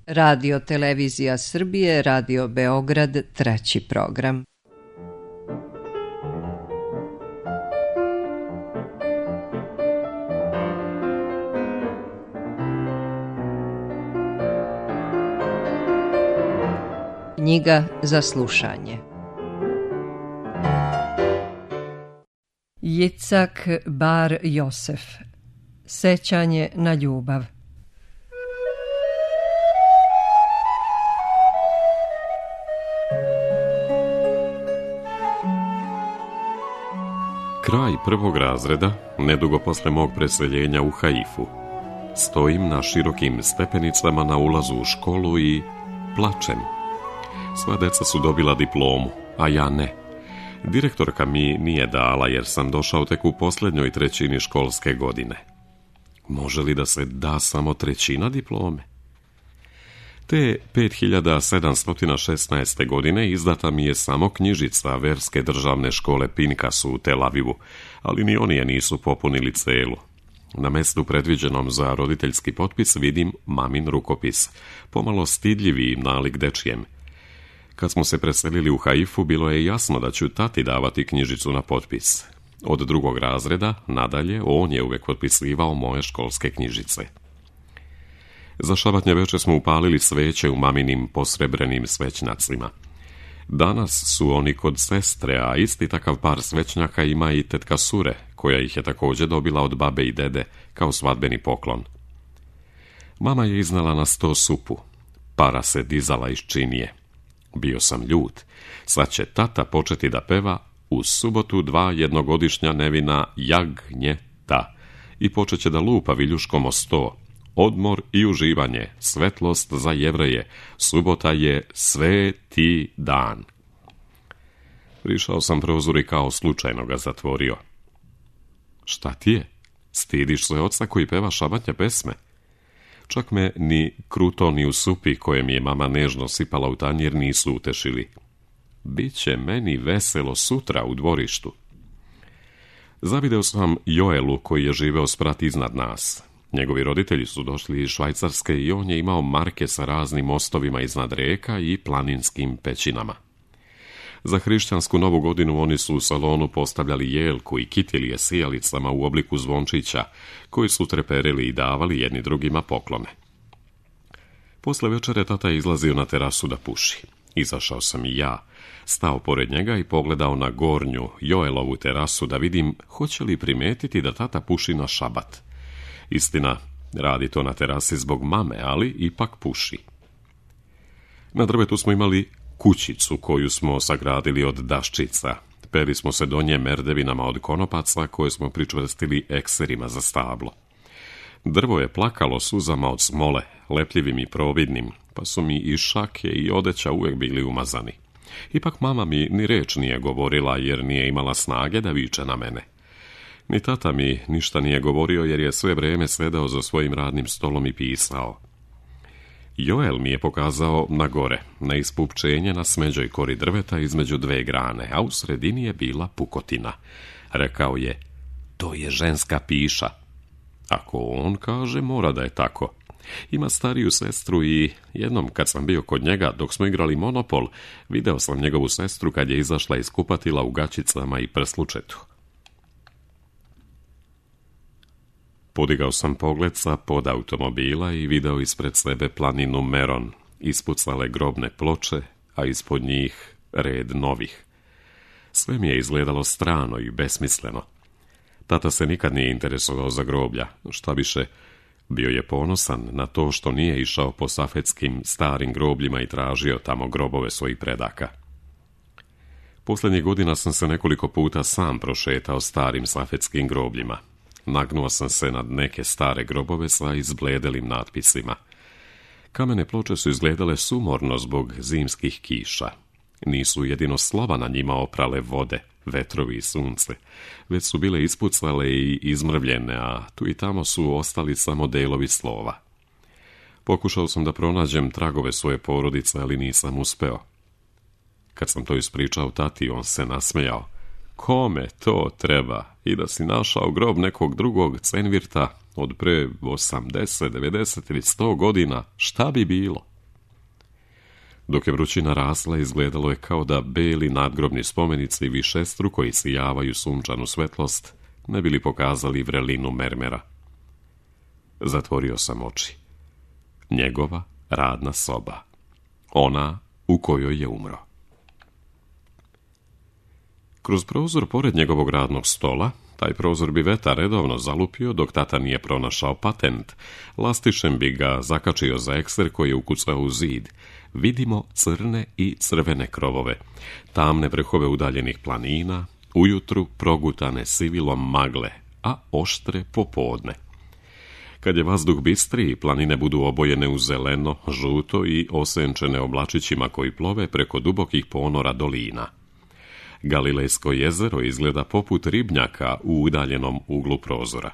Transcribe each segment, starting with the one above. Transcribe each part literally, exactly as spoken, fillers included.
Radio Televizija Srbije, Radio Beograd, treći program. Knjiga za slušanje. Jicak Bar Josef. Sećanje na ljubav. Kraj prvog razreda, nedugo posle mog preseljenja u Haifu. Stojim na širokim stepenicama na ulazu u školu i plačem. Sva deca su dobila diplomu, a ja ne. Direktorka mi nije dala jer sam došao tek u posljednjoj trećini školske godine. Može li da se da samo trećina diplome? Te pet hiljada sedamsto šesnaeste. godine izdata mi je samo knjižica verske državne škole Pinkasu u Tel Avivu, ali ni oni je nisu popunili celu. Na mestu predviđenom za roditeljski potpis vidim mamin rukopis, pomalo stidljivi nalik dečijem. Kad smo se preselili u Haifu, bilo je jasno da ću tati davati knjižicu na potpis. Od drugog razreda, nadalje, on je uvek potpisivao moje školske knjižice. Za šabatnje veče smo upalili sveće u maminim posrebrenim svećnacima. Danas su oni kod sestre, a isti takav par svećnjaka ima i tetka Sure, koja ih je također dobila od babe i dede kao svadbeni poklon. Mama je iznala na sto supu. Para se dizala iz činije. Bio sam ljut. Sad će tata početi da peva u subotu dva jednogodišnja nevina jagnjeta i počet će da lupa viljuškom o sto. Odmor i uživanje, svetlost za Jevreje, subota je sveti dan. Prišao sam prozor i kao slučajno ga zatvorio. Šta ti je? Stidiš se oca koji peva šabatnje pesme? Čak me ni kruto ni u supi koje mi je mama nežno sipala u tanjir nisu utešili. Biće meni veselo sutra u dvorištu. Zavideo sam Joelu koji je živeo sprat iznad nas. Njegovi roditelji su došli iz Švajcarske i on je imao marke sa raznim mostovima iznad reka i planinskim pećinama. Za hrišćansku novu godinu oni su u salonu postavljali jelku i kitilije sijalicama u obliku zvončića, koji su treperili i davali jedni drugima poklone. Posle večere tata je izlazio na terasu da puši. Izašao sam i ja, stao pored njega i pogledao na gornju Joelovu terasu da vidim hoće li primetiti da tata puši na šabat. Istina, radi to na terasi zbog mame, ali ipak puši. Na drvetu smo imali kućicu koju smo sagradili od daščica. Peli smo se do nje merdevinama od konopaca koje smo pričvrstili ekserima za stablo. Drvo je plakalo suzama od smole, lepljivim i providnim, pa su mi i šake i odeća uvek bili umazani. Ipak mama mi ni reč nije govorila jer nije imala snage da viče na mene. Ni tata mi ništa nije govorio jer je sve vrijeme sedao za svojim radnim stolom i pisao. Joel mi je pokazao na gore, na ispupčenje na smeđoj kori drveta između dve grane, a u sredini je bila pukotina. Rekao je, to je ženska piša. Ako on kaže, mora da je tako. Ima stariju sestru i jednom kad sam bio kod njega dok smo igrali Monopol, video sam njegovu sestru kad je izašla iz kupatila u gaćicama i prslučetu. Podigao sam pogled sa pod automobila i video ispred sebe planinu Meron, ispucale grobne ploče, a ispod njih red novih. Sve mi je izgledalo strano i besmisleno. Tata se nikad nije interesovao za groblja, šta više, bio je ponosan na to što nije išao po safetskim starim grobljima i tražio tamo grobove svojih predaka. Posljednjih godina sam se nekoliko puta sam prošetao starim safetskim grobljima. Nagnuo sam se nad neke stare grobove sa izbledelim natpisima. Kamene ploče su izgledale sumorno zbog zimskih kiša. Nisu jedino slova na njima oprale vode, vetrovi i sunce, već su bile ispucale i izmrvljene, a tu i tamo su ostali samo delovi slova. Pokušao sam da pronađem tragove svoje porodice, ali nisam uspeo. Kad sam to ispričao tati, on se nasmejao. Kome to treba? I da si našao grob nekog drugog cenvirta od pre osamdeset, devedeset ili sto godina, šta bi bilo? Dok je vrućina rasla, izgledalo je kao da beli nadgrobni spomenici višestruko isijavaju sunčanu svetlost, ne bili pokazali vrelinu mermera. Zatvorio sam oči. Njegova radna soba. Ona u kojoj je umro. Kroz prozor pored njegovog radnog stola, taj prozor bi vetar redovno zalupio dok tata nije pronašao patent, lastišem bi ga zakačio za ekser koji je ukucao u zid. Vidimo crne i crvene krovove, tamne vrhove udaljenih planina, ujutru progutane sivilom magle, a oštre popodne. Kad je vazduh bistri, planine budu obojene u zeleno, žuto i osenčene oblačićima koji plove preko dubokih ponora dolina. Galilejsko jezero izgleda poput ribnjaka u udaljenom uglu prozora.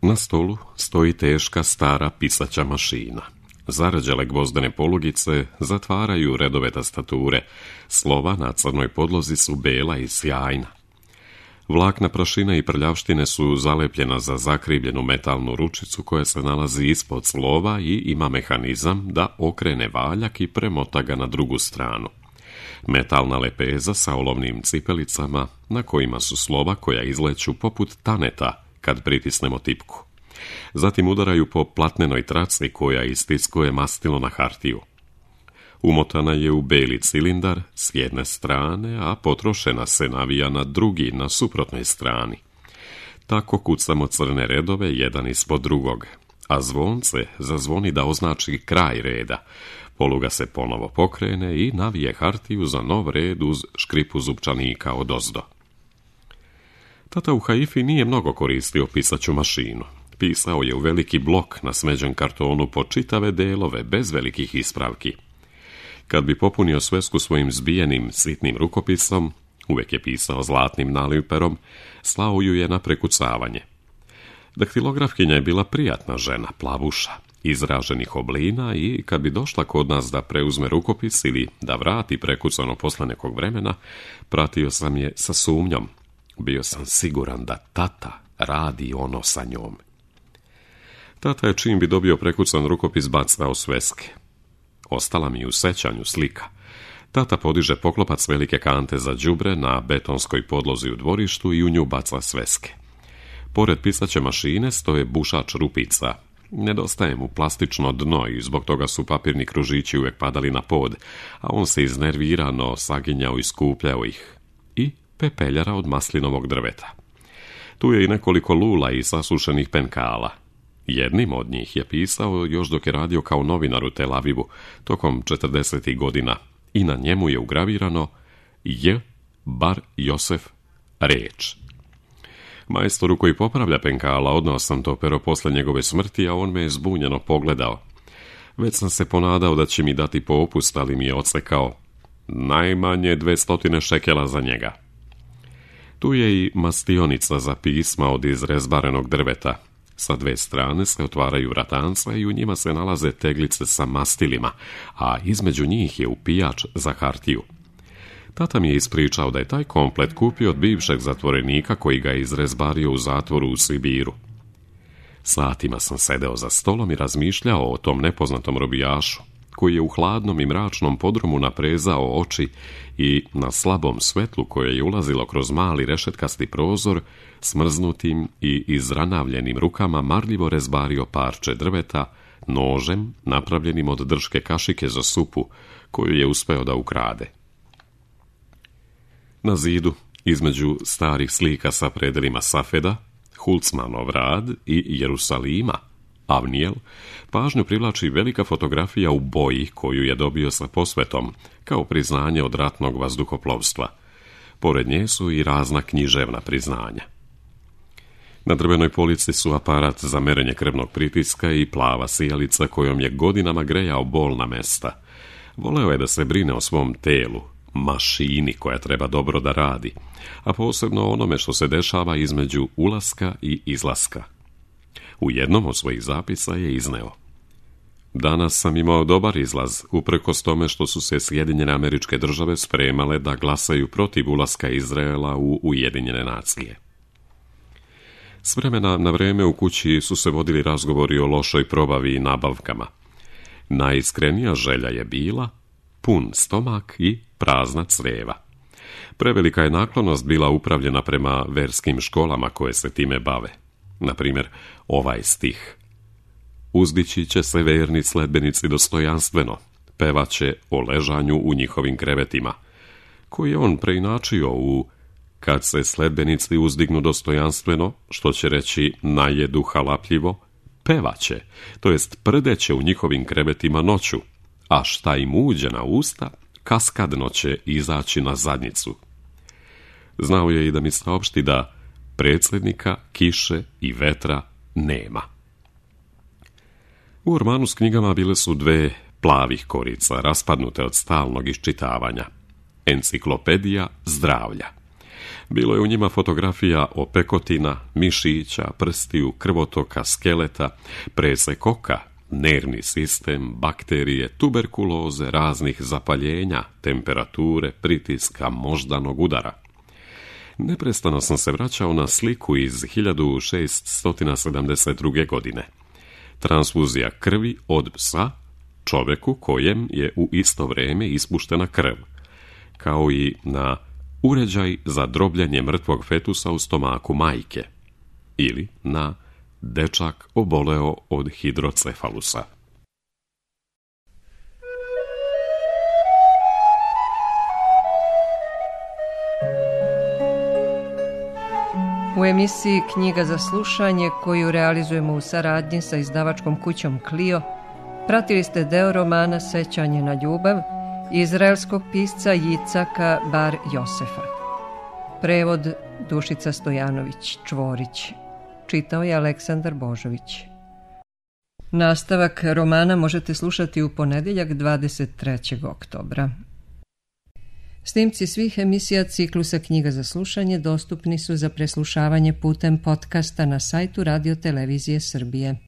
Na stolu stoji teška stara pisaća mašina. Zarađale gvozdene polugice zatvaraju redove tastature, slova na crnoj podlozi su bela i sjajna. Vlakna prašine i prljavštine su zalepljena za zakrivljenu metalnu ručicu koja se nalazi ispod slova i ima mehanizam da okrene valjak i premota ga na drugu stranu. Metalna lepeza sa olovnim cipelicama na kojima su slova koja izleću poput taneta kad pritisnemo tipku. Zatim udaraju po platnenoj traci koja istiskuje mastilo na hartiju. Umotana je u beli cilindar s jedne strane, a potrošena se navija na drugi, na suprotnoj strani. Tako kucamo crne redove jedan ispod drugog, a zvonce zazvoni da označi kraj reda. Poluga se ponovo pokrene i navije hartiju za nov red uz škripu zupčanika odozdo. Tata u Haifi nije mnogo koristio pisaću mašinu. Pisao je u veliki blok na smeđen kartonu po čitave delove, bez velikih ispravki. Kad bi popunio svesku svojim zbijenim, sitnim rukopisom, uvek je pisao zlatnim naliperom, slao ju je na prekucavanje. Daktilografkinja je bila prijatna žena, plavuša, izraženih oblina i kad bi došla kod nas da preuzme rukopis ili da vrati prekucano posle nekog vremena, pratio sam je sa sumnjom. Bio sam siguran da tata radi ono sa njom. Tata je čim bi dobio prekucan rukopis bacao sveske. Ostala mi u sećanju slika. Tata podiže poklopac velike kante za đubre na betonskoj podlozi u dvorištu i u nju baca sveske. Pored pisaće mašine stoje bušač rupica. Nedostaje mu plastično dno i zbog toga su papirni kružići uvek padali na pod, a on se iznervirano saginjao i skupljao ih. I pepeljara od maslinovog drveta. Tu je i nekoliko lula i sasušenih penkala. Jednim od njih je pisao još dok je radio kao novinar u Tel Avivu tokom četrdesetih godina i na njemu je ugravirano J. Bar Josef Reč. Majstoru koji popravlja penkala odnao sam to pero posle njegove smrti, a on me je zbunjeno pogledao. Već sam se ponadao da će mi dati popust, ali mi je odsekao najmanje dvestotine šekela za njega. Tu je i mastionica za pisma od izrezbarenog drveta. Sa dve strane se otvaraju vratanca i u njima se nalaze teglice sa mastilima, a između njih je upijač za hartiju. Tata mi je ispričao da je taj komplet kupio od bivšeg zatvorenika koji ga je izrezbario u zatvoru u Sibiru. Satima sam sedeo za stolom i razmišljao o tom nepoznatom robijašu, koji je u hladnom i mračnom podrumu naprezao oči i na slabom svetlu koje je ulazilo kroz mali rešetkasti prozor, smrznutim i izranavljenim rukama marljivo rezbario parče drveta nožem napravljenim od drške kašike za supu koju je uspeo da ukrade. Na zidu, između starih slika sa predelima Safeda, Hulcmanov rad i Jerusalima, Avnijel, pažnju privlači velika fotografija u boji koju je dobio sa posvetom, kao priznanje od ratnog vazduhoplovstva. Pored nje su i razna književna priznanja. Na drvenoj polici su aparat za merenje krvnog pritiska i plava sijalica kojom je godinama grejao bolna mesta. Voleo je da se brine o svom telu, mašini koja treba dobro da radi, a posebno onome što se dešava između ulaska i izlaska. U jednom od svojih zapisa je izneo: danas sam imao dobar izlaz, uprkos tome što su se Sjedinjene Američke Države spremale da glasaju protiv ulaska Izraela u Ujedinjene nacije. S vremena na vreme u kući su se vodili razgovori o lošoj probavi i nabavkama. Najiskrenija želja je bila pun stomak i prazna crijeva. Prevelika je naklonost bila upravljena prema verskim školama koje se time bave. Na primjer, ovaj stih: uzdići će se verni sledbenici dostojanstveno, pevaće o ležanju u njihovim krevetima, koji je on preinačio u kad se sledbenici uzdignu dostojanstveno, što će reći najedu halapljivo, pevaće, to jest prdeće u njihovim krevetima noću, a šta im uđe na usta, kaskadno će izaći na zadnjicu. Znao je i da mi saopšti da predsjednika, kiše i vetra nema. U ormanu s knjigama bile su dve plavih korica, raspadnute od stalnog iščitavanja. Enciklopedija zdravlja. Bilo je u njima fotografija opekotina, mišića, prstiju, krvotoka, skeleta, presekoka, nervni sistem, bakterije, tuberkuloze, raznih zapaljenja, temperature, pritiska, moždanog udara. Neprestano sam se vraćao na sliku iz hiljadu šeststo sedamdeset druge. godine. Transfuzija krvi od psa čoveku kojem je u isto vrijeme ispuštena krv, kao i na uređaj za drobljenje mrtvog fetusa u stomaku majke, ili na dečak oboleo od hidrocefalusa. U emisiji Knjiga za slušanje, koju realizujemo u saradnji sa izdavačkom kućom Clio, pratili ste deo romana Sećanje na ljubav izraelskog pisca Jicaka Bar Josefa. Prevod Dušica Stojanović Čvorić. Čitao je Aleksandar Božović. Nastavak romana možete slušati u ponedjeljak dvadeset trećeg oktobra. Snimci svih emisija ciklusa Knjiga za slušanje dostupni su za preslušavanje putem podcasta na sajtu Radio Televizije Srbije.